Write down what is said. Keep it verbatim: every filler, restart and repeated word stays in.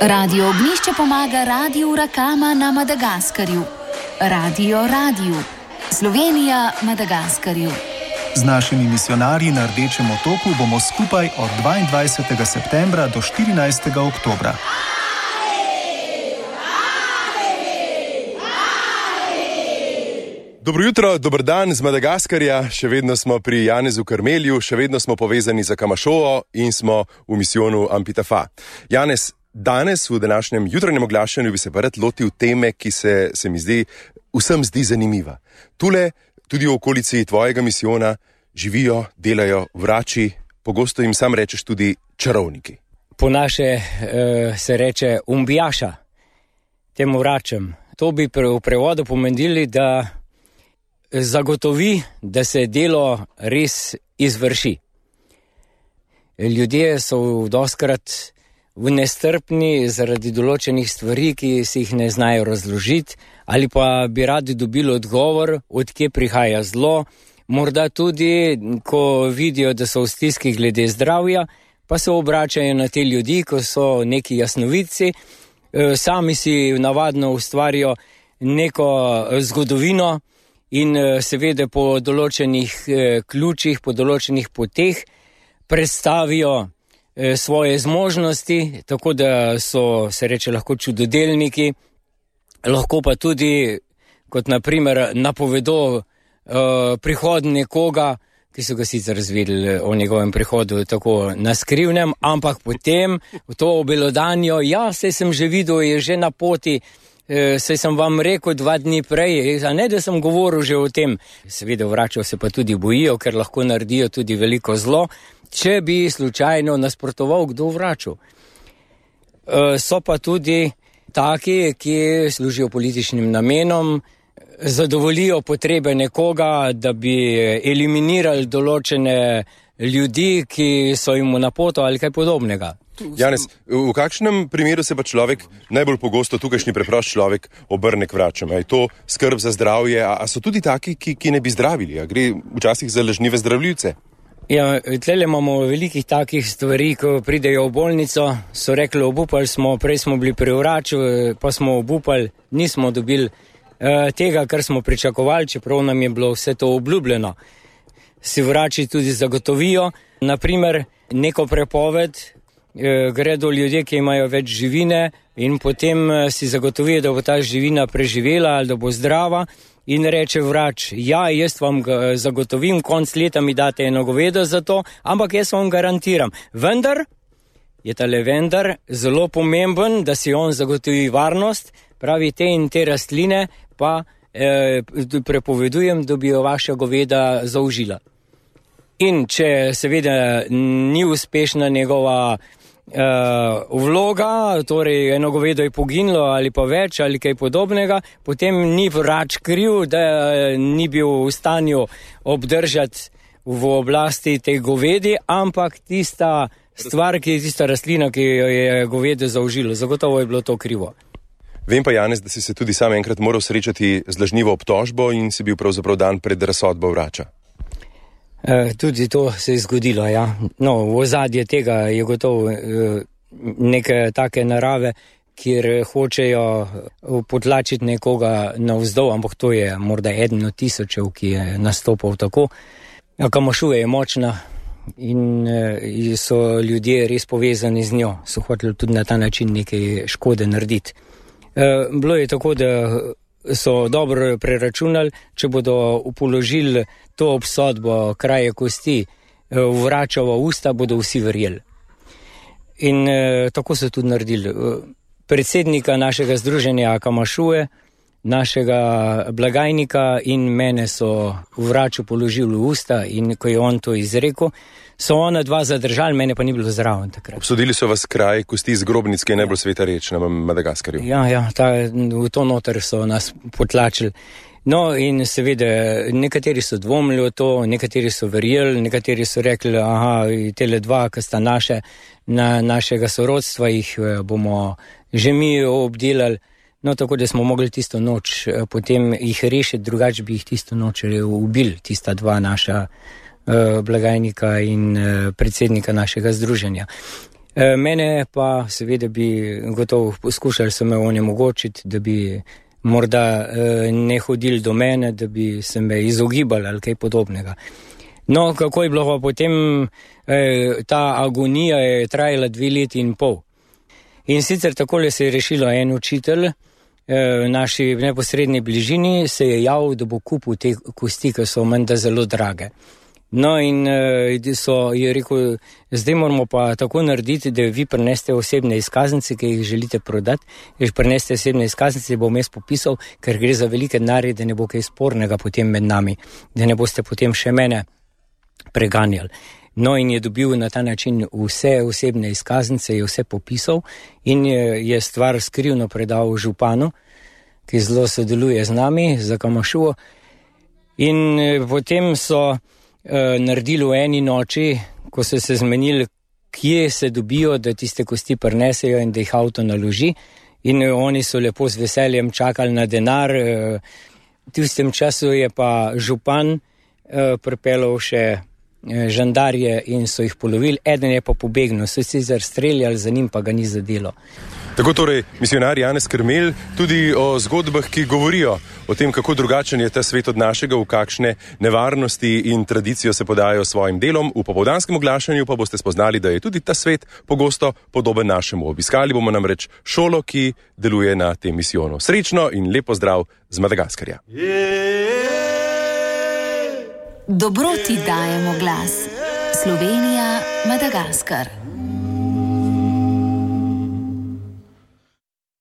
Radio Ognjišče pomaga Radiu Rakama na Madagaskarju. Radio Radio. Slovenija Madagaskarju. Z našimi misijonarji na Rdečem otoku bomo skupaj od dvaindvajsetega septembra do štirinajstega oktobra. Dobro jutro, dober dan z Madagaskarja. Še vedno smo pri Janezu Karmelju, še vedno smo povezani za Kamašovo in smo v misijonu Ampitafa. Janez, danes v današnjem jutranjem oglašanju bi se pa rad lotil teme, ki se, se mi zdi, vsem zdi zanimiva. Tule, tudi v okolici tvojega misijona, živijo, delajo vrači, pogosto jim sam rečeš tudi čarovniki. Po naše uh, se reče umbijaša, temu vračam. To bi pre, v prevodu pomenili, da zagotovi, da se delo res izvrši. Ljudje so doskrat v nestrpni zaradi določenih stvari, ki si jih ne znajo razložiti, ali pa bi radi dobili odgovor, od kje prihaja zlo, morda tudi, ko vidijo, da so v stiski glede zdravja, pa se obračajo na te ljudi, ko so neki jasnovidci, sami si navadno ustvarijo neko zgodovino in seveda po določenih ključih, po določenih poteh predstavijo svoje zmožnosti, tako da so, se reče, lahko čudodelniki, lahko pa tudi, kot na primer, napovedo uh, prihod nekoga, ki so ga sicer razvedeli o njegovem prihodu tako na skrivnem, ampak potem v to obelodanjo, ja, saj sem že videl, je že na poti, uh, saj sem vam rekel dva dni prej, a ne, da sem govoril že o tem. Seveda vračajo se pa tudi bojijo, ker lahko naredijo tudi veliko zlo, če bi slučajno nasprotoval kdo vračal. Uh, so pa tudi taki, ki služijo političnim namenom, zadovoljijo potrebe nekoga, da bi eliminirali določene ljudi, ki so jim na poto ali kaj podobnega. Janez, v kakšnem primeru se pa človek, najbolj pogosto tukajšnji preprost človek, obrne k vračam? Je to skrb za zdravje, a, a so tudi taki, ki, ki ne bi zdravili? A gre včasih za lažnive zdravljivce? Ja, tlele imamo velikih takih stvari, ko pridejo v bolnico, so rekli, obupali smo, prej smo bili pri vraču, pa smo obupali, nismo dobili eh, tega, kar smo pričakovali, čeprav nam je bilo vse to obljubljeno. Si vrači tudi zagotovijo, naprimer, neko prepoved, eh, gredo ljudje, ki imajo več živine in potem eh, si zagotovijo, da bo ta živina preživela ali da bo zdrava. In reče vrač, ja, jaz vam zagotovim, konc leta mi date eno govedo za to, ampak jaz vam garantiram. Vendar je tale vendar zelo pomemben, da si on zagotovi varnost, pravi te in te rastline, pa eh, prepovedujem, da bi jo vaša goveda zaužila. In če seveda ni uspešna njegova Uh, vloga, torej eno govedo je poginilo ali pa več ali kaj podobnega, potem ni vrač kriv, da ni bil v stanju obdržati v oblasti tej govedi, ampak tista stvar, ki je tista rastlina, ki jo je govedo zaužilo, zagotovo je bilo to krivo. Vem pa, Janez, da si se tudi sam enkrat moral srečati z lažnivo obtožbo in si bil pravzaprav dan pred razsodbo vrača. Uh, tudi to se je zgodilo, ja. No, v ozadje tega je gotovo uh, neke take narave, kjer hočejo potlačiti nekoga navzdol, ampak to je morda eden od tisočev, ki je nastopal tako. Kamašuva je močna in uh, so ljudje res povezani z njo, so hoteli tudi na ta način nekaj škode narediti. Uh, bilo je tako, da so dobro preračunali, če bodo upoložili to obsodbo kraje kosti v vračavo usta, bodo vsi verjeli. In eh, tako so tudi naredili. Predsednika našega združenja Kamašuve, našega blagajnika in mene so v vraču položili v usta in ko je on to izrekel, so ona dva zadržali, mene pa ni bilo zraven takrat. Obsodili so vas kraj kosti z grobnic, ki je najbolj sveta reč na Madagaskarju. Ja, ja, ta, v to noter so nas potlačili. No in seveda, nekateri so dvomili o to, nekateri so verjeli, nekateri so rekli, aha, tele dva, ki sta naše, na, našega sorodstva, jih bomo že mi obdelali. No, tako da smo mogli tisto noč potem jih rešiti, drugače bi jih tisto noč ubili, tista dva naša blagajnika in predsednika našega združenja. E, mene pa seveda bi gotovo poskušali so me onemogočiti, da bi morda e, ne hodili do mene, da bi se me izogibali ali kaj podobnega. No, kako je bilo pa potem, e, ta agonija je trajala dve leti in pol. In sicer takole se je rešilo en učitelj, v naši neposredni bližini se je javil, da bo kupil te kosti, ki so menda zelo drage. No in so, je rekel, zdaj moramo pa tako narediti, da vi prineste osebne izkaznice, ki jih želite prodati, jih prineste osebne izkaznice, bom jaz popisal, ker gre za velike denarje, da ne bo kaj spornega potem med nami, da ne boste potem še mene preganjali. No in je dobil na ta način vse osebne izkaznice, je vse popisal in je, je stvar skrivno predal županu, ki zelo sodeluje z nami, za Kamašuo. In potem so eh, naredili v eni noči, ko so se zmenili, kje se dobijo, da tiste kosti prinesejo in da jih avto naloži. In eh, oni so lepo z veseljem čakali na denar. Eh, v tistem času je pa župan eh, pripeljal še žandarje in so jih polovili, eden je pa pobegnil, so sicer streljali, za njim pa ga ni zadelo. Tako torej, misionar Janez Krmelj tudi o zgodbah, ki govorijo o tem, kako drugačen je ta svet od našega, v kakšne nevarnosti in tradicijo se podajo svojim delom. V popoldanskem oglašanju pa boste spoznali, da je tudi ta svet pogosto podoben našemu. Obiskali bomo namreč šolo, ki deluje na tem misijonu. Srečno in lepo zdrav z Madagaskarja. Dobroti dajemo glas. Slovenija, Madagaskar.